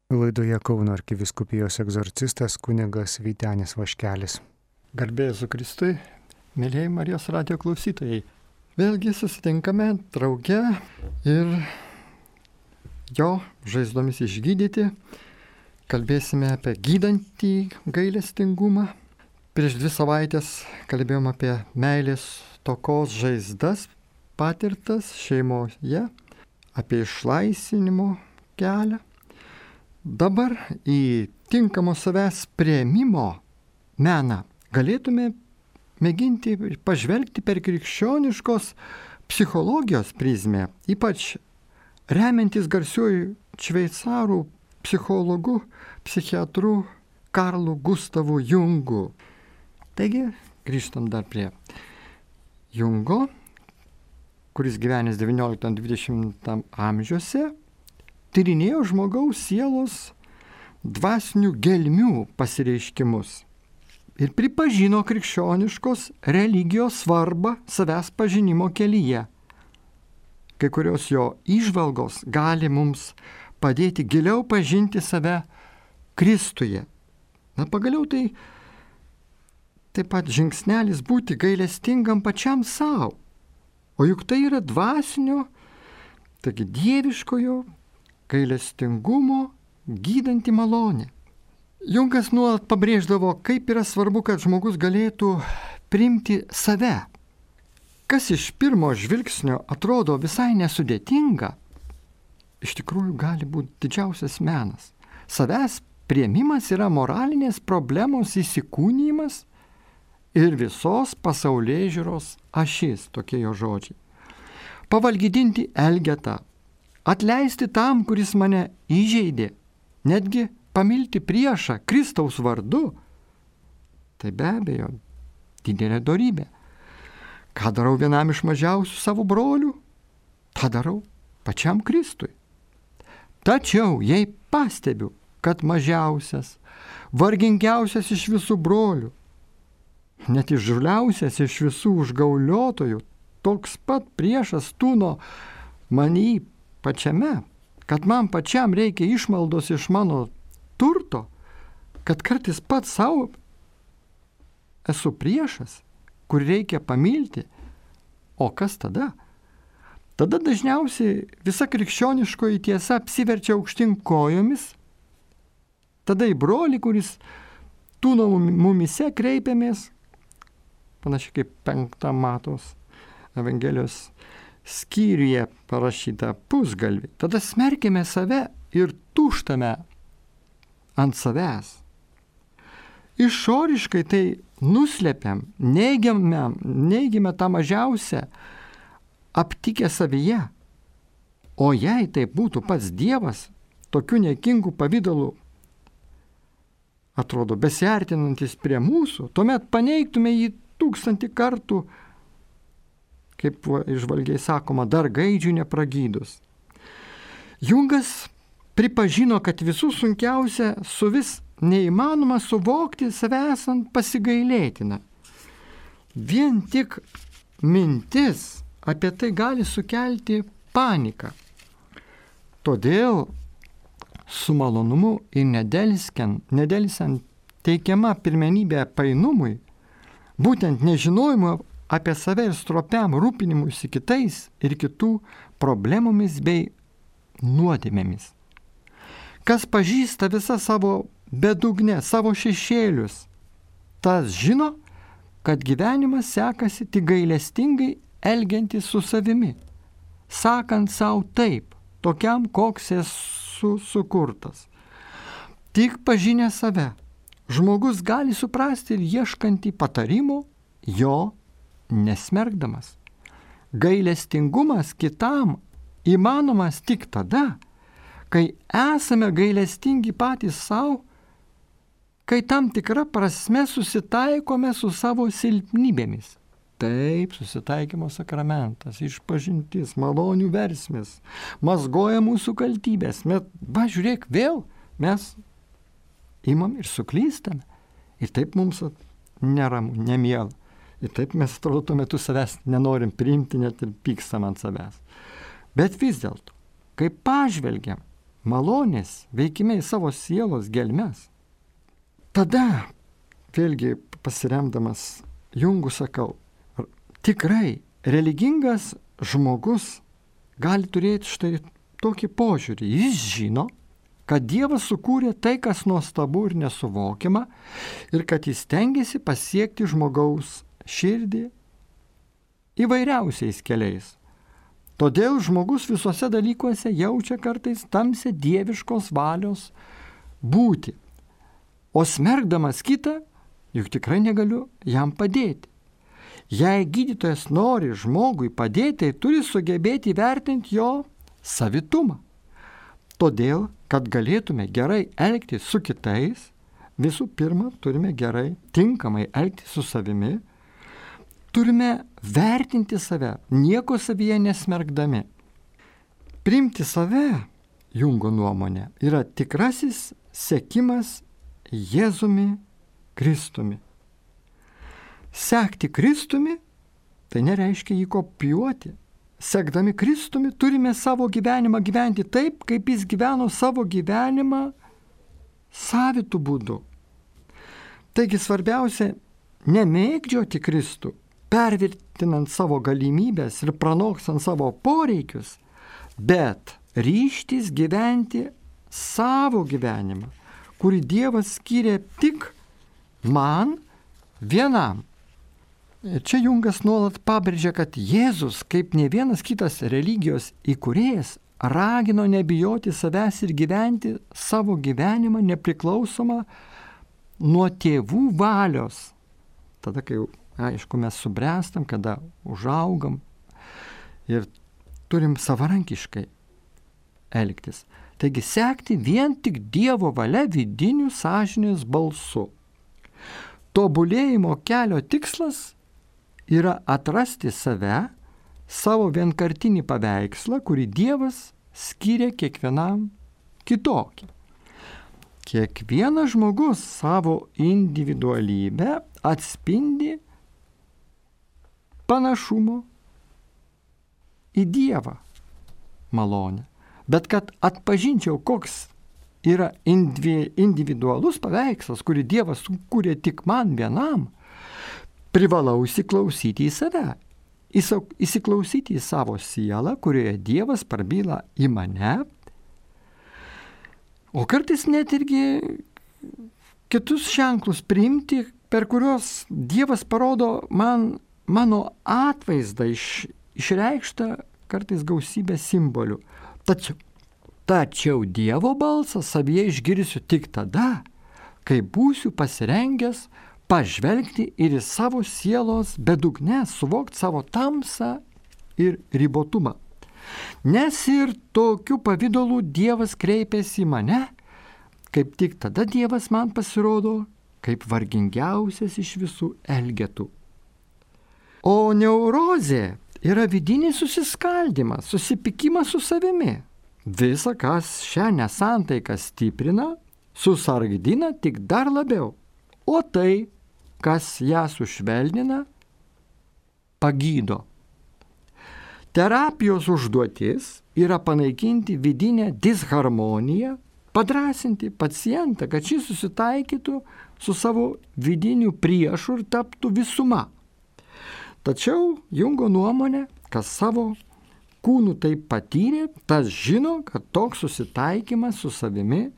Laidoje Kauno arkivyskupijos egzorcistas kunigas Vytenis Vaškelis. Garbė Jėzui Kristui, mėlyjei Marijos radijo klausytojai. Vėlgi susitinkame drauge ir jo žaizdomis išgydyti. Kalbėsime apie gydantį gailestingumą. Prieš 2 savaitės kalbėjom apie meilės stokos žaizdas patirtas šeimoje, apie išlaisvinimo kelią. Dabar į tinkamo savęs priėmimo meną galėtume mėginti pažvelgti per krikščioniškos psichologijos prizmę, ypač remiantis garsiuoju šveicarų psichologu, psichiatru Karlu Gustavu Jungu. Taigi, grįžtam dar prie Jungo, kuris gyvenęs 19-20 amžiuose, tyrinėjo žmogaus sielos dvasinių gelmių pasireiškimus ir pripažino krikščioniškos religijos svarbą savęs pažinimo kelyje. Kai kurios jo įžvalgos gali mums padėti giliau pažinti save Kristuje. Pagaliau tai taip pat žingsnelis būti gailestingam pačiam savo, o juk tai yra dvasinio, taigi dieviškojo gailestingumo gydanti malonė. Jungas nuolat pabrėždavo, kaip yra svarbu, kad žmogus galėtų priimti save. Kas iš pirmo žvilgsnio atrodo visai nesudėtinga, iš tikrųjų gali būti didžiausias menas. Savęs priėmimas yra moralinės problemos įsikūnijimas ir visos pasaulėžiūros ašis, tokie jo žodžiai. Pavalgydinti elgetą, atleisti tam, kuris mane įžeidė, netgi pamilti priešą Kristaus vardu, tai be abejo didelė dorybė. Ką darau vienam iš mažiausių savo brolių, tą darau pačiam Kristui. Tačiau jei pastebiu, kad mažiausias, vargingiausias iš visų brolių, net įžūliausias iš visų užgauliotojų, toks pat priešas tūno manį pačiame, kad man pačiam reikia išmaldos iš mano turto, kad kartais pats savo esu priešas, kur reikia pamilti. O kas tada? Tada dažniausiai visa krikščioniškoji tiesa apsiverčia aukštyn kojomis. Tada į brolį, kuris tūno mumise kreipiamės, panašiai kaip 5 Matos Evangelijos skyriuje parašyta pusgalvį. Tada smerkime save ir tuštame ant savęs. Išoriškai tai nuslepiam, neigiame tą mažiausią aptikę savyje. O jei tai būtų pats Dievas, tokiu niekingų pavydalų, atrodo, besiartinantis prie mūsų, tuomet paneigtume jį 1000 kartų, kaip išvalgiai sakoma, dar gaidžių nepragydus. Jungas pripažino, kad visų sunkiausia suvis neįmanoma suvokti save esant pasigailėtina. Vien tik mintis apie tai gali sukelti paniką. Todėl su malonumu ir nedelsiant teikiama pirmenybė painumui, būtent nežinojimo apie save ir stropiam rūpinimuisi kitais ir kitų problemomis bei nuodėmėmis. Kas pažįsta visą savo bedugnę, savo šešėlius, tas žino, kad gyvenimas sekasi tik gailestingai elgiantis su savimi, sakant savo taip, tokiam, koks esu sukurtas. Tik pažinę save, žmogus gali suprasti ir ieškantį patarimų, jo nesmerkdamas. Gailestingumas kitam įmanomas tik tada, kai esame gailestingi patys savo, kai tam tikra prasme susitaikome su savo silpnybėmis. Taip, susitaikymo sakramentas, išpažintis, malonių versmės, mazgoja mūsų kaltybės. Žiūrėk, vėl mes imam ir suklystame. Ir taip mums neramu, nemiela. Ir taip mes atrodo tuo metu savęs nenorim priimti, net ir pykstam ant savęs. Bet vis dėlto, kai pažvelgiam, malonės veikime į savo sielos gelmes. Tada, vėlgi pasiremdamas Jungu sakau, tikrai religingas žmogus gali turėti štai tokį požiūrį. Jis žino, kad Dievas sukūrė tai, kas nuostabu ir nesuvokiama, ir kad jis stengiasi pasiekti žmogaus širdį įvairiausiais keliais. Todėl žmogus visuose dalykuose jaučia kartais tamsią dieviškos valios būti. O smerkdamas kitą, juk tikrai negaliu jam padėti. Jei gydytojas nori žmogui padėti, tai turi sugebėti įvertinti jo savitumą. Todėl, kad galėtume gerai elgtis su kitais, visų pirma, turime gerai, tinkamai elgtis su savimi, turime vertinti save, nieko savyje nesmerkdami. Priimti save, Jungo nuomonė, yra tikrasis sekimas Jėzumi Kristumi. Sekti Kristumi, tai nereiškia jį kopijuoti. Sekdami Kristumi turime savo gyvenimą gyventi taip, kaip jis gyveno savo gyvenimą savitų būdų. Taigi svarbiausia nemėgdžioti Kristų, pervertinant savo galimybės ir pranoksant savo poreikius, bet ryžtis gyventi savo gyvenimą, kurį Dievas skyrė tik man vienam. Ir čia Jungas nuolat pabrėžia, kad Jėzus, kaip ne vienas kitas religijos įkūrėjas, ragino nebijoti savęs ir gyventi savo gyvenimą nepriklausomą nuo tėvų valios. Tada, kai, aišku, mes subręstam, kada užaugam ir turim savarankiškai elgtis. Taigi sekti vien tik Dievo valia vidiniu sąžinės balsu. Tobulėjimo kelio tikslas yra atrasti save, savo vienkartinį paveikslą, kurį Dievas skyrė kiekvienam kitokį. Kiekvienas žmogus savo individualybę atspindi panašumo į Dievą malonę. Bet kad atpažinčiau, koks yra individualus paveikslas, kurį Dievas sukūrė tik man vienam, privalau įsiklausyti į save, įsiklausyti į savo sielą, kurioje Dievas prabyla į mane, o kartais net irgi kitus ženklus priimti, per kuriuos Dievas parodo man mano atvaizdą išreikštą kartais gausybę simbolių. Tačiau Dievo balsą savyje išgirsiu tik tada, kai būsiu pasirengęs pažvelgti ir į savo sielos bedugnes, suvokti savo tamsą ir ribotumą. Nes ir tokiu pavidalu Dievas kreipiasi į mane, kaip tik tada Dievas man pasirodo kaip vargingiausias iš visų elgetų. O neurozė yra vidinis susiskaldimas, susipykimas su savimi. Visa, kas šią nesantaiką stiprina, susargdina tik dar labiau. O tai, kas ją sušvelnina, pagydo. Terapijos užduotis yra panaikinti vidinę disharmoniją, padrąsinti pacientą, kad šis susitaikytų su savo vidiniu priešu ir taptų visuma. Tačiau Jungo nuomonė, kas savo kūnu taip patyrė, tas žino, kad toks susitaikymas su savimi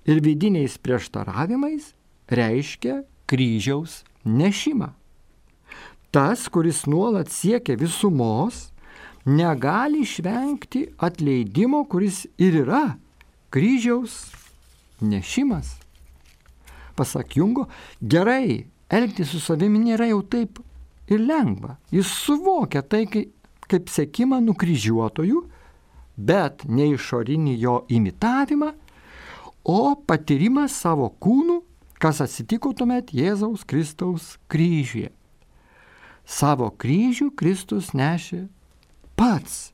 ir vidiniais prieštaravimais reiškia kryžiaus nešimą. Tas, kuris nuolat siekia visumos, negali išvengti atleidimo, kuris ir yra kryžiaus nešimas. Pasak Jungo, gerai elgtis su savimi nėra jau taip ir lengva. Jis suvokia tai kaip sekimą nukryžiuotojų, bet ne išorinį jo imitavimą, o patyrimą savo kūnų, kas atsitiko tuomet Jėzaus Kristaus kryžiuje. Savo kryžių Kristus nešė pats.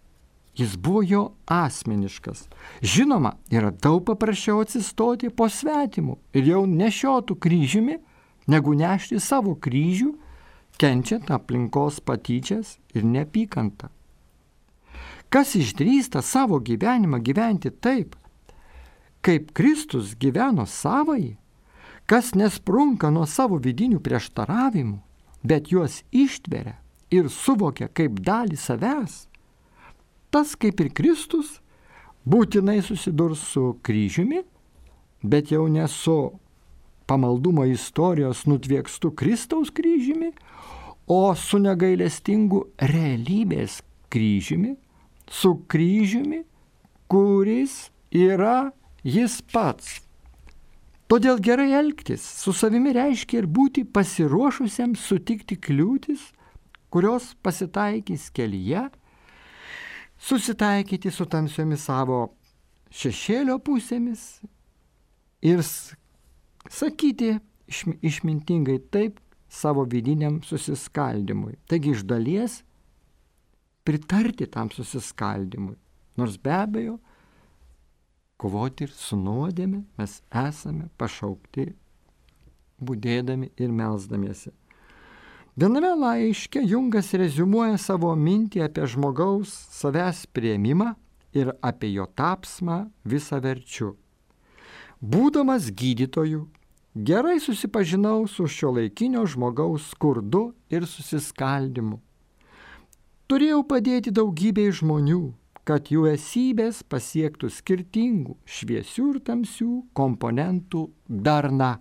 Jis buvo jo asmeniškas. Žinoma, yra daug paprasčiau atsistoti po svetimų ir jau nešiotų kryžiumi, negu nešti savo kryžių, kenčiant aplinkos patyčias ir neapykantą. Kas išdrįsta savo gyvenimą gyventi taip, kaip Kristus gyveno savąjį, kas nesprunka nuo savo vidinių prieštaravimų, bet juos ištveria ir suvokia kaip dalį savęs, tas kaip ir Kristus būtinai susidurs su kryžiumi, bet jau ne su pamaldumo istorijos nutviekstu Kristaus kryžiumi, o su negailestingu realybės kryžiumi, su kryžiumi, kuris yra jis pats. Todėl gerai elgtis su savimi reiškia ir būti pasiruošusiam sutikti kliūtis, kurios pasitaikys kelyje, susitaikyti su tamsiomis savo šešėlio pusėmis ir sakyti išmintingai taip savo vidiniam susiskaldimui. Taigi iš dalies pritarti tam susiskaldimui, nors be abejo kovoti ir su nuodėme mes esame pašaukti budėdami ir melsdamiesi. Viename laiške Jungas reziumuoja savo mintį apie žmogaus savęs priėmimą ir apie jo tapsmą visaverčiu. Būdamas gydytoju, gerai susipažinau su šiuolaikinio žmogaus skurdu ir susiskaldimu. Turėjau padėti daugybei žmonių, kad jų esybės pasiektų skirtingų šviesių ir tamsių komponentų darna.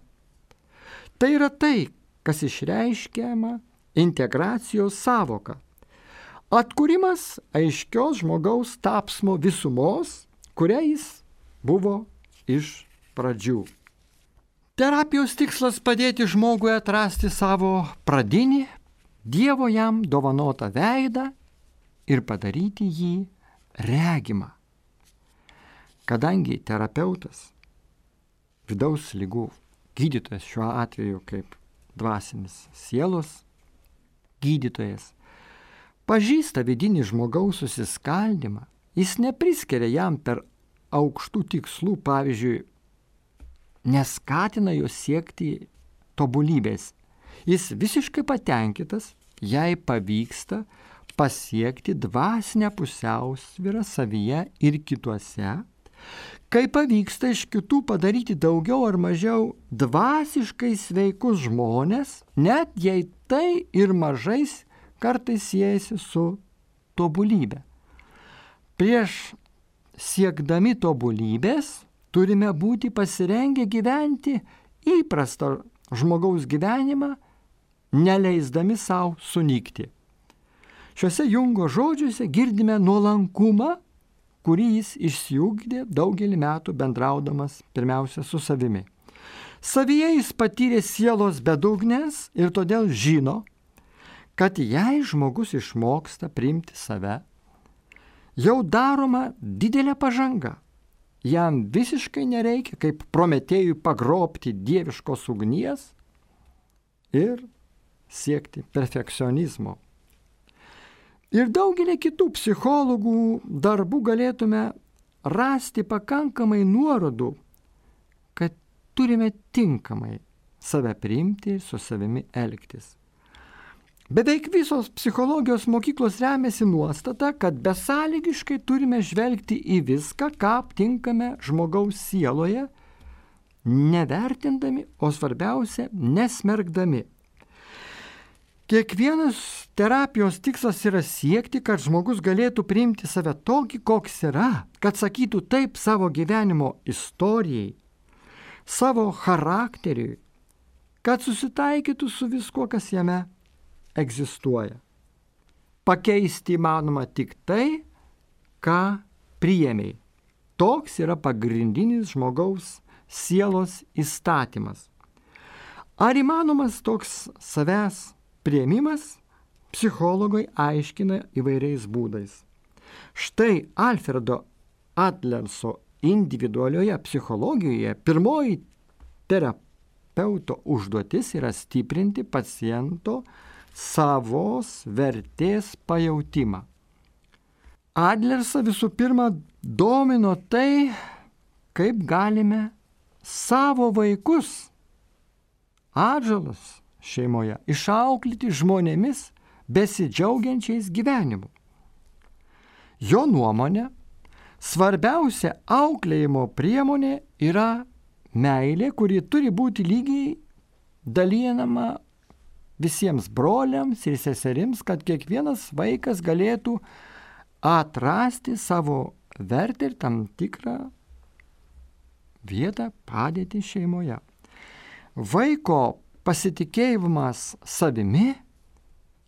Tai yra tai, kas išreiškiama integracijos sąvoka. Atkūrimas aiškios žmogaus tapsmo visumos, kuria jis buvo iš pradžių. Terapijos tikslas padėti žmogui atrasti savo pradinį, Dievo jam dovanotą veidą ir padaryti jį regimą. Kadangi terapeutas, vidaus ligų gydytojas šiuo atveju kaip dvasinis sielos gydytojas, pažįsta vidinį žmogaus susiskaldimą, jis nepriskiria jam per aukštų tikslų, pavyzdžiui, neskatina jo siekti tobulybės. Jis visiškai patenkintas, jei pavyksta pasiekti dvasinę pusiausvyrą savyje ir kituose, kai pavyksta iš kitų padaryti daugiau ar mažiau dvasiškai sveikus žmonės, net jei tai ir mažais kartais siejasi su tobulybė. Prieš siekdami tobulybės turime būti pasirengę gyventi įprastą žmogaus gyvenimą, neleisdami savo sunykti. Šiuose Jungo žodžiuose girdime nuolankumą, kurį jis išsiugdė daugelį metų bendraudamas pirmiausia su savimi. Savyje jis patyrė sielos bedugnės ir todėl žino, kad jei žmogus išmoksta priimti save, jau daroma didelė pažanga. Jam visiškai nereikia kaip Prometėjui pagrobti dieviškos ugnies ir siekti perfekcionizmo. Ir daugelį kitų psichologų darbų galėtume rasti pakankamai nuorodų, kad turime tinkamai save priimti ir su savimi elgtis. Beveik visos psichologijos mokyklos remiasi nuostata, kad besąlygiškai turime žvelgti į viską, ką aptinkame žmogaus sieloje, nevertindami, o svarbiausia, nesmergdami. Kiekvienas terapijos tikslas yra siekti, kad žmogus galėtų priimti save tokį, koks yra, kad sakytų taip savo gyvenimo istorijai, savo charakteriui, kad susitaikytų su viskuo, kas jame egzistuoja. Pakeisti įmanoma tik tai, ką priėmei. Toks yra pagrindinis žmogaus sielos įstatymas. Ar įmanomas toks savęs priėmimas? Psichologai aiškina įvairiais būdais. Štai Alfredo Adlerso individualioje psichologijoje pirmoji terapeuto užduotis yra stiprinti paciento savos vertės pajautimą. Adlersą visų pirma domino tai, kaip galime savo vaikus, atžalas šeimoje, išauklėti žmonėmis besidžiaugiančiais gyvenimu. Jo nuomonė, svarbiausia auklėjimo priemonė yra meilė, kuri turi būti lygiai dalinama visiems broliams ir seserims, kad kiekvienas vaikas galėtų atrasti savo vertę ir tam tikrą vietą, padėtį šeimoje. Vaiko pasitikėjimas savimi,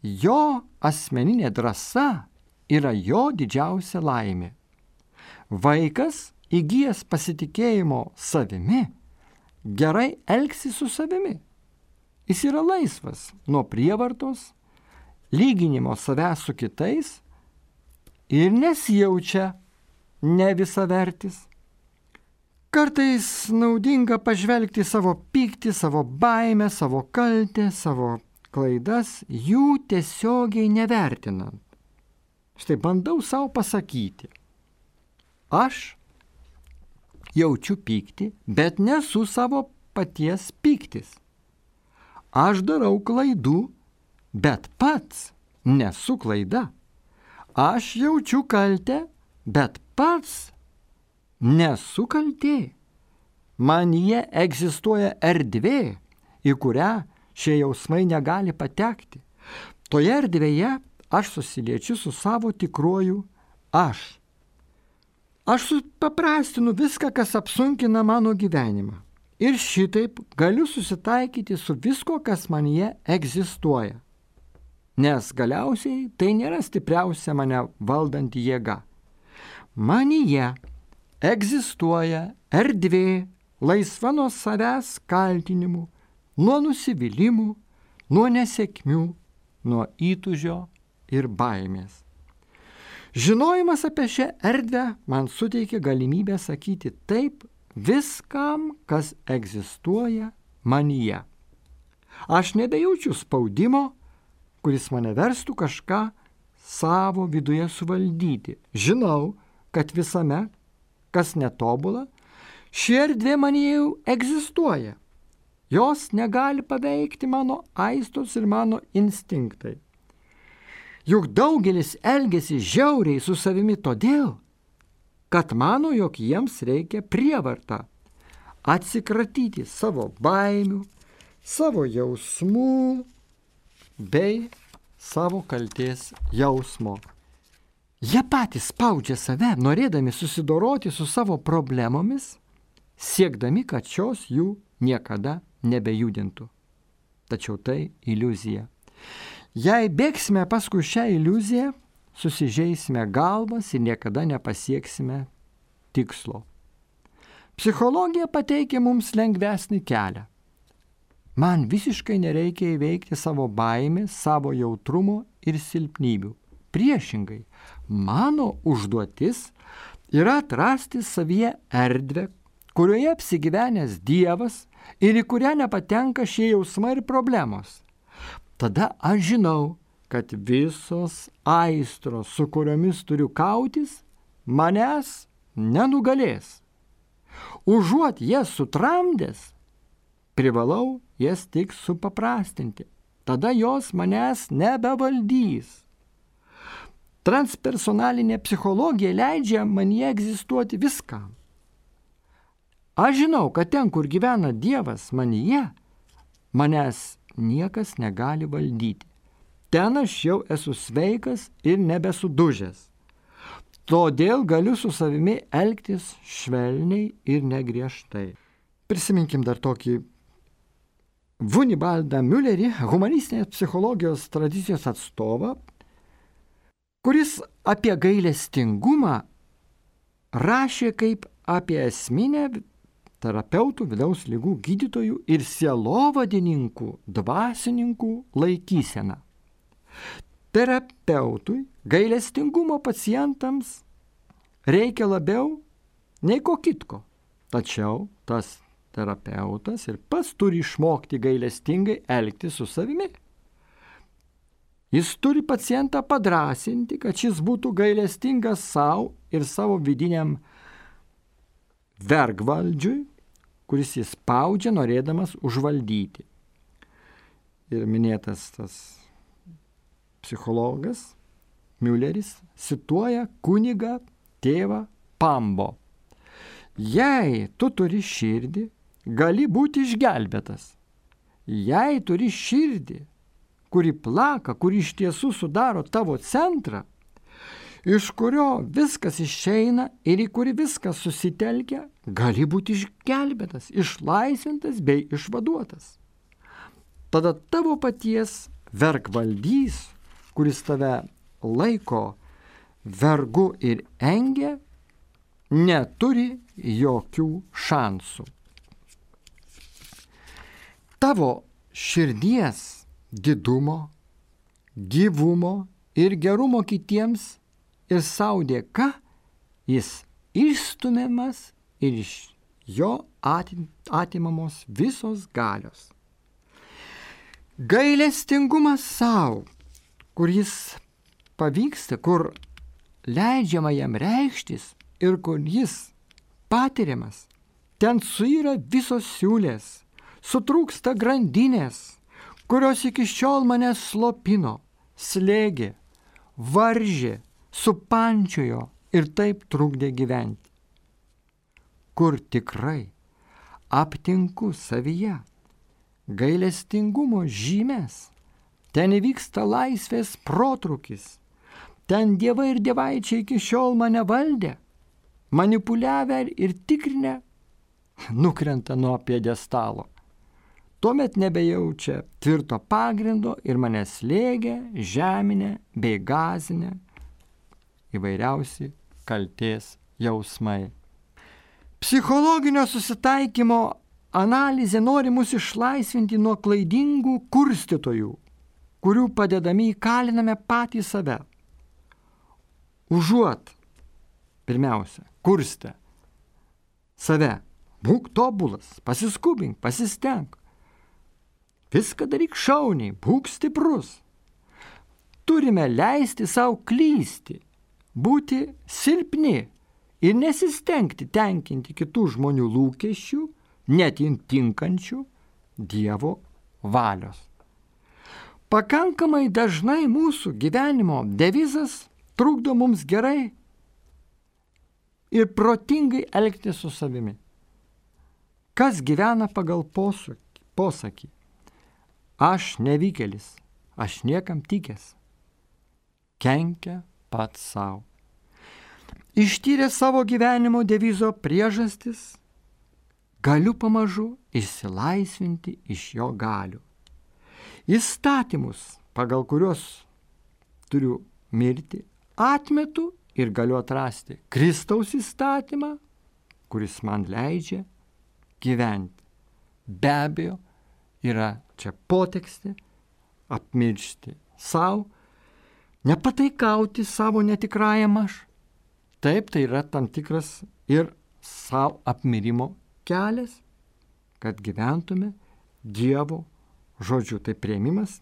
jo asmeninė drąsa yra jo didžiausia laimė. Vaikas, įgijęs pasitikėjimo savimi, gerai elgsis su savimi. Jis yra laisvas nuo prievartos, lyginimo savęs su kitais ir nesijaučia nevisavertis. Kartais naudinga pažvelgti savo pyktį, savo baimę, savo kaltę, savo klaidas, jų tiesiogiai nevertinant. Štai bandau savo pasakyti. Aš jaučiu pyktį, bet nesu savo paties pyktis. Aš darau klaidų, bet pats nesu klaida. Aš jaučiu kaltę, bet pats nesu kaltė. Manyje egzistuoja erdvė, į kurią šie jausmai negali patekti. Toje erdvėje aš susiliečiu su savo tikruoju aš. Aš supaprastinu viską, kas apsunkina mano gyvenimą. Ir šitaip galiu susitaikyti su visko, kas manyje egzistuoja. Nes galiausiai tai nėra stipriausia mane valdanti jėga. Manyje egzistuoja erdvė, laisva nuo savęs kaltinimų, nuo nusivylimų, nuo nesėkmių, nuo įtūžio ir baimės. Žinojimas apie šią erdvę man suteikia galimybę sakyti taip viskam, kas egzistuoja manyje. Aš nebejaučiu spaudimo, kuris mane verstų kažką savo viduje suvaldyti. Žinau, kad visame, kas netobula, ši erdvė manyje jau egzistuoja. Jos negali paveikti mano aistos ir mano instinktai. Juk daugelis elgiasi žiauriai su savimi todėl, kad mano, jog jiems reikia prievartą atsikratyti savo baimių, savo jausmų bei savo kaltės jausmo. Jie patys spaudžia save, norėdami susidoroti su savo problemomis, siekdami, kad šios jų niekada nebejudintų. Tačiau tai iliuzija. Jei bėgsime paskui šią iliuziją, susižeisime galvas ir niekada nepasieksime tikslo. Psichologija pateikia mums lengvesnį kelią. Man visiškai nereikia įveikti savo baimės, savo jautrumo ir silpnybių. Priešingai, mano užduotis yra atrasti savyje erdvę, kurioje apsigyvenęs Dievas ir į kurią nepatenka šie jausmai ir problemos. Tada aš žinau, kad visos aistros, su kuriomis turiu kautis, manęs nenugalės. Užuot jas sutramdęs, privalau jas tik supaprastinti. Tada jos manęs nebevaldys. Transpersonalinė psichologija leidžia manyje egzistuoti viskam. Aš žinau, kad ten, kur gyvena Dievas manyje, manęs niekas negali valdyti. Ten aš jau esu sveikas ir nebesudužęs. Todėl galiu su savimi elgtis švelniai ir negriežtai. Prisiminkim dar tokį Vunibaldą Müllerį, humanistinės psichologijos tradicijos atstovą, kuris apie gailestingumą rašė kaip apie esminę terapeutų, vidaus ligų gydytojų ir sielovadininkų, dvasininkų laikyseną. Terapeutui gailestingumo pacientams reikia labiau nei ko kitko. Tačiau tas terapeutas ir pats turi išmokti gailestingai elgtis su savimi. Jis turi pacientą padrąsinti, kad šis būtų gailestingas savo ir savo vidiniam vergvaldžiui, kuris jis spaudžia norėdamas užvaldyti. Ir minėtas tas psichologas Mülleris cituoja kunigą tėvą Pambo. Jei tu turi širdį, gali būti išgelbėtas. Jei turi širdį, kuri plaka, kuri iš tiesų sudaro tavo centrą, iš kurio viskas išeina ir į kurį viskas susitelkia, gali būti išgelbėtas, išlaisvintas bei išvaduotas. Tada tavo paties vergvaldys, kuris tave laiko vergu ir engia, neturi jokių šansų. Tavo širdies didumo, gyvumo ir gerumo kitiems ir sau dėka jis išstumiamas ir iš jo atimamos visos galios. Gailestingumas sau, kur jis pavyksta, kur leidžiama jam reikštis ir kur jis patiriamas, ten suyra visos siūlės, sutrūksta grandinės, kurios iki šiol mane slopino, slėgė, varžė, supančiojo ir taip trukdė gyventi. Kur tikrai aptinku savyje gailestingumo žymės, ten įvyksta laisvės protrūkis, ten dievai ir dievaičiai iki šiol mane valdė, manipuliavę ir tikrinę, nukrenta nuo pjedestalo. Tuomet nebejaučia tvirto pagrindo ir mane slėgia, žeminė bei gazinė įvairiausi kaltės jausmai. Psichologinio susitaikymo analizė nori mus išlaisvinti nuo klaidingų kurstytojų, kurių padedami įkaliname patį save. Užuot, pirmiausia, kurstę save, būk tobulas, pasiskubink, pasistenk. Viską daryk šauniai, būk stiprus. Turime leisti savo klysti, būti silpni ir nesistengti tenkinti kitų žmonių lūkesčių, net tinkančių Dievo valios. Pakankamai dažnai mūsų gyvenimo devizas trukdo mums gerai ir protingai elgtis su savimi. Kas gyvena pagal posakį? Aš nevykėlis, aš niekam tikęs. Kenkia pats savo. Ištyrė savo gyvenimo devizo priežastis, galiu pamažu išsilaisvinti iš jo galių. Įstatymus, pagal kuriuos turiu mirti, atmetu ir galiu atrasti Kristaus įstatymą, kuris man leidžia gyventi. Be abejo, yra čia potekstė, apmiršti savo, nepataikauti savo netikrajam aš. Taip, tai yra tam tikras ir savo apmirimo kelias, kad gyventume Dievo žodžiu. Tai priėmimas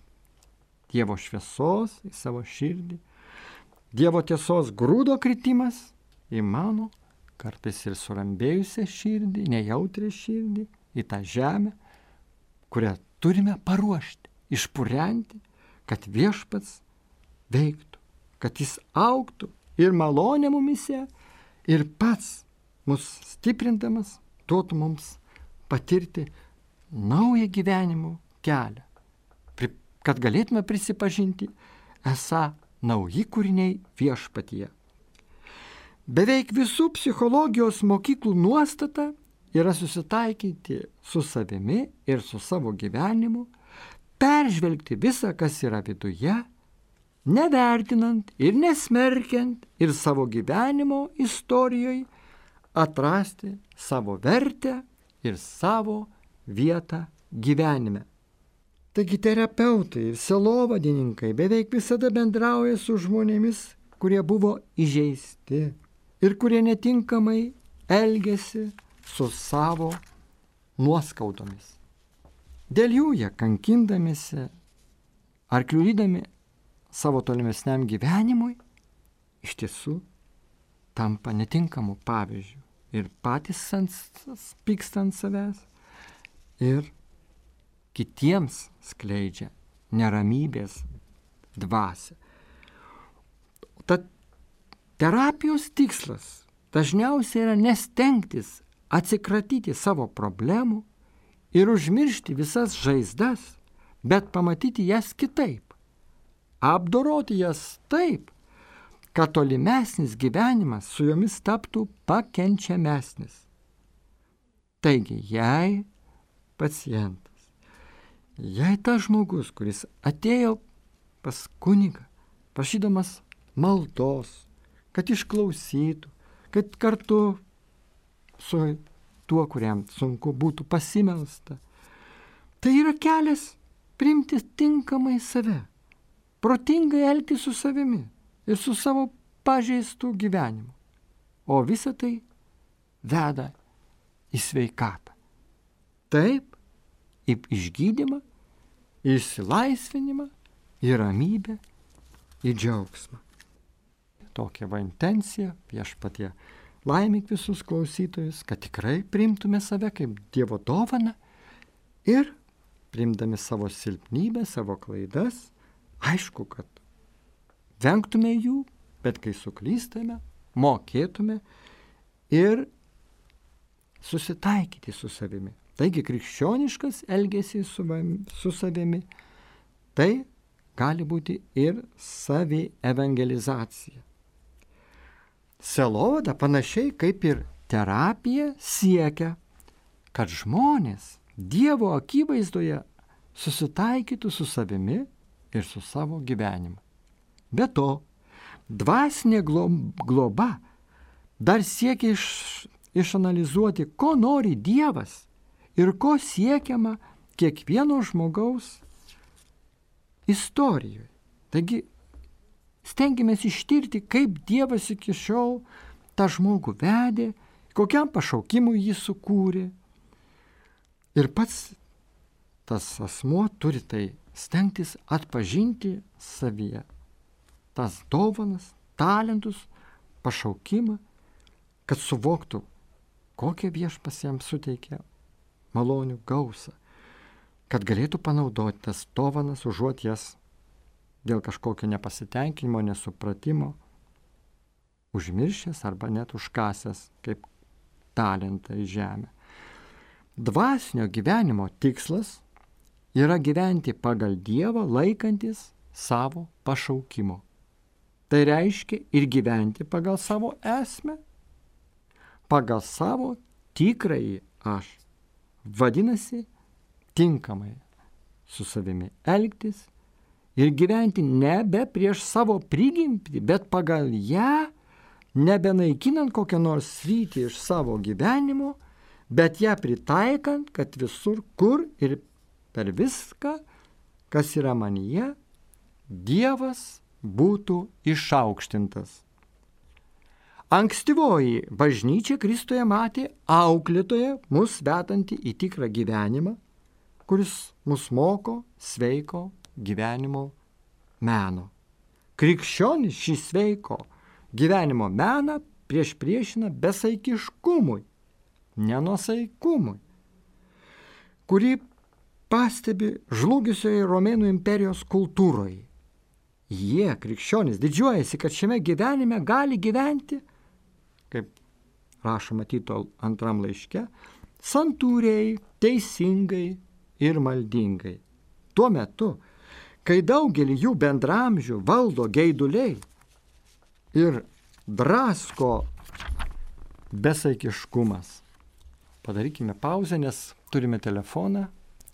Dievo šviesos į savo širdį, Dievo tiesos grūdo kritimas į mano, kartais ir surambėjusią širdį, nejautrią širdį, į tą žemę, kurią turime paruošti, išpurenti, kad viešpats veiktų, kad jis augtų ir malonė mumise, ir pats mus stiprindamas duotų mums patirti naują gyvenimo kelią, kad galėtume prisipažinti, esą nauji kūriniai viešpatyje. Beveik visų psichologijos mokyklų nuostata yra susitaikyti su savimi ir su savo gyvenimu, peržvelgti visą, kas yra viduje, nevertinant ir nesmerkiant, ir savo gyvenimo istorijoje atrasti savo vertę ir savo vietą gyvenime. Taigi terapeutai ir sielovadininkai beveik visada bendrauja su žmonėmis, kurie buvo įžeisti ir kurie netinkamai elgėsi su savo nuoskaudomis. Dėl jų jie kankindamėsi ar kliudydami savo tolimesniam gyvenimui iš tiesų tampa netinkamu pavyzdžiu ir patys pyksta ant savęs ir kitiems skleidžia neramybės dvasią. Tad terapijos tikslas dažniausiai yra nestengtis atsikratyti savo problemų ir užmiršti visas žaizdas, bet pamatyti jas kitaip, apdoroti jas taip, kad tolimesnis gyvenimas su jomis taptų pakenčiamesnis. Taigi, jei pacientas, jei tas žmogus, kuris atėjo pas kunigą, prašydamas maldos, kad išklausytų, kad kartu su tuo, kuriam sunku būtų pasimelsta, tai yra kelias priimti tinkamai save, protingai elgtis su savimi ir su savo pažeistų gyvenimu. O visa tai veda į sveikatą. Taip, į išgydymą, į išsilaisvinimą, į ramybę, į džiaugsmą. Tokia va intencija, viešpatie laimink visus klausytojus, kad tikrai priimtume save kaip Dievo dovaną ir priimdami savo silpnybę, savo klaidas, aišku, kad vengtume jų, bet kai suklystame, mokėtume ir susitaikyti su savimi. Taigi krikščioniškas elgesys su savimi, tai gali būti ir savievangelizacija. Sielovada panašiai kaip ir terapija siekia, kad žmonės Dievo akivaizdoje susitaikytų su savimi ir su savo gyvenimu. Be to, dvasinė globa dar siekia išanalizuoti, ko nori Dievas ir ko siekiama kiekvieno žmogaus istorijoje. Taigi, stengiamės ištirti, kaip Dievas iki šiol tą žmogų vedė, kokiam pašaukimui jį sukūrė. Ir pats tas asmuo turi tai stengtis atpažinti savyje. Tas dovanas, talentus, pašaukimą, kad suvoktų, kokią viešpats jam suteikia malonių gausą, kad galėtų panaudoti tas dovanas, užuot jas dėl kažkokio nepasitenkinimo, nesupratimo, užmiršęs arba net užkasęs kaip talentą į žemę. Dvasinio gyvenimo tikslas yra gyventi pagal Dievą, laikantis savo pašaukimo. Tai reiškia ir gyventi pagal savo esmę, pagal savo tikrąjį aš. Vadinasi, tinkamai su savimi elgtis ir gyventi nebe prieš savo prigimtį, bet pagal ją, nebenaikinant kokią nors sritį iš savo gyvenimo, bet ją pritaikant, kad visur, kur ir per viską, kas yra manyje, Dievas būtų išaukštintas. Ankstyvoji bažnyčia Kristuje matė auklėtoją mus vedantį į tikrą gyvenimą, kuris mus moko sveiko gyvenimo meno. Krikščionis šį sveiko gyvenimo meną priešina besaikiškumui, nenuosaikumui, kurį pastebi žlugusioje Romėnų imperijos kultūroje. Jie, krikščionys, didžiuojasi, kad šiame gyvenime gali gyventi, kaip rašoma Tito antram laiške, santūriai, teisingai ir maldingai. Tuo metu, kai daugelį jų bendramžių valdo geiduliai ir drasko besaikiškumas. Padarykime pauzę, nes turime telefoną.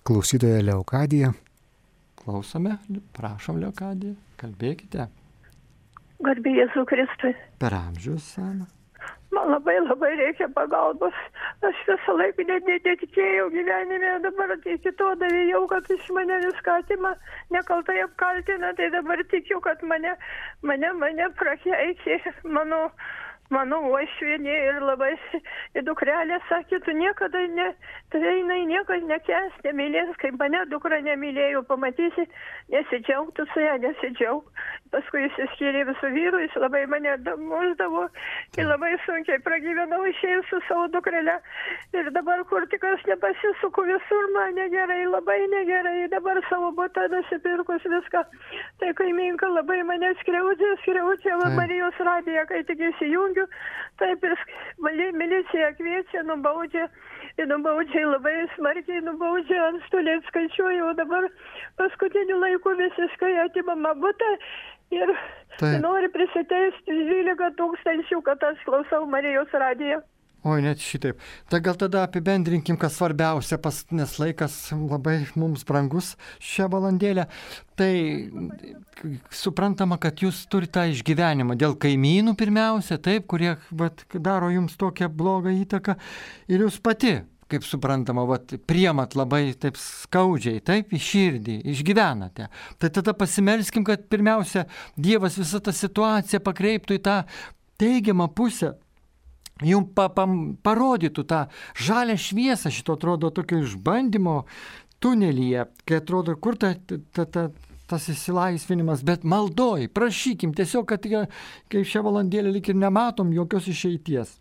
Klausytoja Leokadija. Klausome, prašom Leokadija, kalbėkite. Garbė Jėzų Kristui. Per amžius seną. Man labai reikia pagalbos. Aš visą laiką netikėjau gyvenime, dabar iki to davėjau, kad iš mane viską atima, nekaltai apkaltina, tai dabar tikiu, kad mane prakeikė mano uošvienė ir labai dukrelė sakė, tu niekada niekas nekęs, nemylės, kaip mane dukra nemylėjo, pamatysi, nesidžiaugtų su ją, nesidžiaug. Paskui jis išskyrė visų vyrų, jis labai mane muždavo ir labai sunkiai pragyvenau išėjus su savo dukrele. Ir dabar kur tik aš nepasisuku, visur man negerai, labai negerai, dabar savo butą nusipirkus viską. Tai kaiminka labai mane skriaudžia Marijos radiją, kai tik įsijungiu, žodžiu, taip ir milicija kviečia, nubaudžia labai smarkiai, nubaudžia, antstoliai skaičiuoja, o dabar paskutiniu laiku visiškai atimama butą ir nori prisiteisti 12 000, kad aš klausau Marijos radiją. Oi, net šitaip. Tai gal tada apibendrinkim, kas svarbiausia, nes laikas labai mums brangus šią valandėlę. Tai suprantama, kad jūs turite tą išgyvenimą dėl kaimynų pirmiausia, taip, kurie daro jums tokią blogą įtaką. Ir jūs pati, kaip suprantama, priemat labai taip skaudžiai, taip, į širdį, išgyvenate. Tai tada pasimelskim, kad pirmiausia, Dievas visą tą situaciją pakreiptų į tą teigiamą pusę. Jums parodytų tą žalią šviesą, šito atrodo tokio išbandymo tunelyje, kai atrodo, kur tas įsilaisvinimas, bet maldoj, prašykim, tiesiog, kad kaip šią valandėlę lyg ir nematom jokios išeities.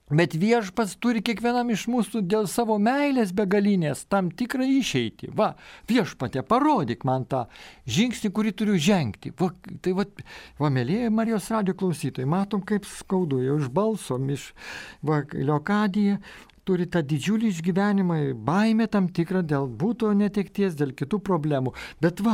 Bet Viešpats turi kiekvienam iš mūsų dėl savo meilės begalinės tam tikrą išeitį. Va, Viešpatie, parodyk man tą žingsnį, kurį turiu žengti. Mėlyje Marijos radijo klausytojai, matom, kaip skaudu, jau iš balso, Leokadija turi tą didžiulį išgyvenimą, baimę tam tikrą dėl būto netekties, dėl kitų problemų. Bet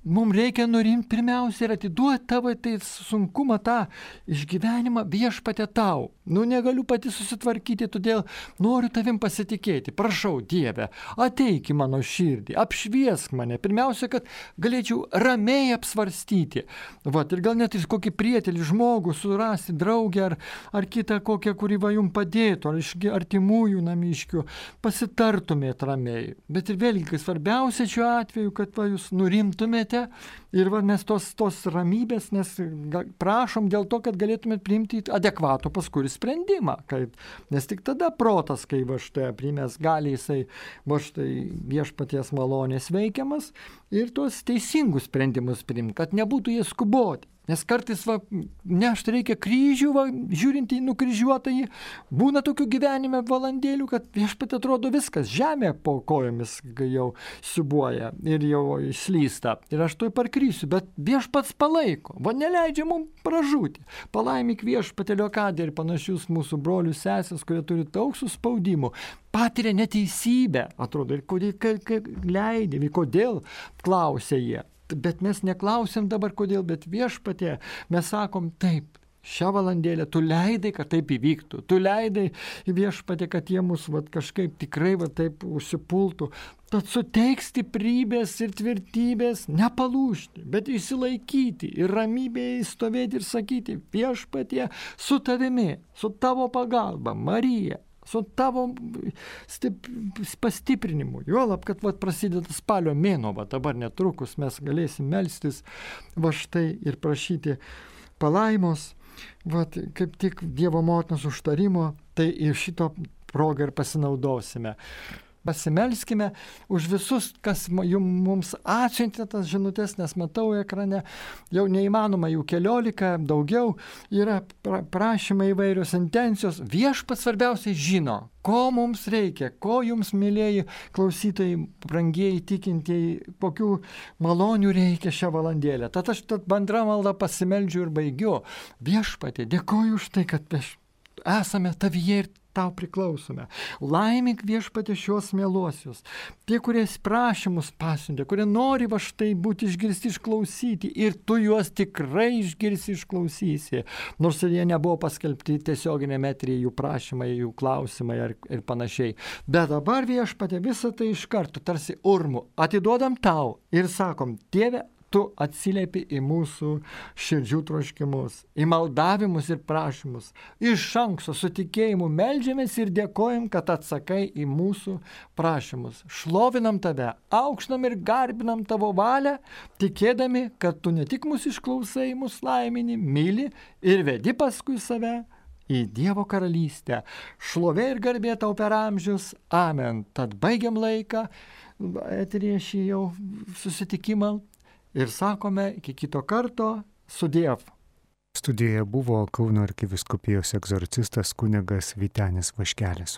mums reikia nurimti pirmiausia ir atiduoti tavo sunkumą, tą išgyvenimą Viešpatie tau. Negaliu pati susitvarkyti, todėl noriu tavim pasitikėti. Prašau, Dieve, ateik į mano širdį, apšviesk mane. Pirmiausia, kad galėčiau ramiai apsvarstyti. Ir gal net ir kokį prietelį žmogų surasti, draugę ar kitą kokią, kuri jums padėtų, ar iš artimųjų namiškių, pasitartumėt ramiai. Bet ir vėlgi, kai svarbiausia šiuo atveju, kad jūs nurimtumėte ir mes tos ramybės, nes prašom dėl to, kad galėtumėt priimti adekvatų paskui sprendimą, nes tik tada protas, kai primės, gali jisai Viešpaties malonės veikiamas ir tuos teisingus sprendimus priimti, kad nebūtų jie skuboti. Nes kartais nešti reikia kryžių, žiūrint į nukryžiuotąjį, būna tokių gyvenime valandėlių, kad Viešpatie atrodo viskas, žemė po kojomis jau siubuoja ir jau išslysta. Ir aš tuoj parkrysiu, bet Viešpats palaiko, neleidžia mums pražūti. Palaimik Viešpatie Leokadiją ir panašius mūsų brolius sesės, kurie turi daug suspaudimų, patiria neteisybę, atrodo, ir kodėl, klausia jie. Bet mes neklausim dabar kodėl, bet Viešpatie, mes sakom taip, šią valandėlę tu leidai, kad taip įvyktų, tu leidai Viešpatie, kad jie mus kažkaip tikrai taip užsipultų, tad suteik stiprybės ir tvirtybės, nepalūžti, bet išsilaikyti ir ramybėje stovėti ir sakyti, Viešpatie, su tavimi, su tavo pagalba, Marija, su tavo pastiprinimu. Juolab, kad prasideda spalio mėnuo, dabar netrukus mes galėsim melstis štai ir prašyti palaimos, kaip tik Dievo motinos užtarimo, tai ir šito progą ir pasinaudosime. Pasimelskime už visus, kas mums atsiuntė tas žinutės, nes matau ekrane, jau neįmanoma, jų 14, daugiau yra prašymai įvairios intencijos. Viešpats svarbiausiai žino, ko mums reikia, ko jums, mylėjai klausytojai, brangieji tikintieji, kokių malonių reikia šią valandėlę. Tad aš bendrą maldą pasimeldžiu ir baigiu. Viešpatie, dėkoju už tai, kad esame tavyje ir tau priklausome. Laimink Viešpatie šios mieluosius. Tie, kurie prašymus pasiuntė, kurie nori štai būti išgirsti, išklausyti ir tu juos tikrai išgirsi, išklausysi. Nors ir jie nebuvo paskelbti tiesioginėme eteryje jų prašymai, jų klausimai ir panašiai. Bet dabar Viešpatie visą tai iš karto tarsi urmu atiduodam tau ir sakom, Dieve, tu atsiliepi į mūsų širdžių troškimus, į maldavimus ir prašymus. Iš anksto su tikėjimu meldžiamės ir dėkojam, kad atsakai į mūsų prašymus. Šlovinam tave, aukštinam ir garbinam tavo valią, tikėdami, kad tu ne tik mūsų išklausai, mūsų laimini, myli ir vedi paskui save į Dievo karalystę. Šlovė ir garbė tau per amžius. Amen. Tad baigiam laiką, eteryje šį jau susitikimą. Ir sakome iki kito karto, sudiev. Studijoje buvo Kauno arkivyskupijos egzorcistas kunigas Vytenis Vaškelis.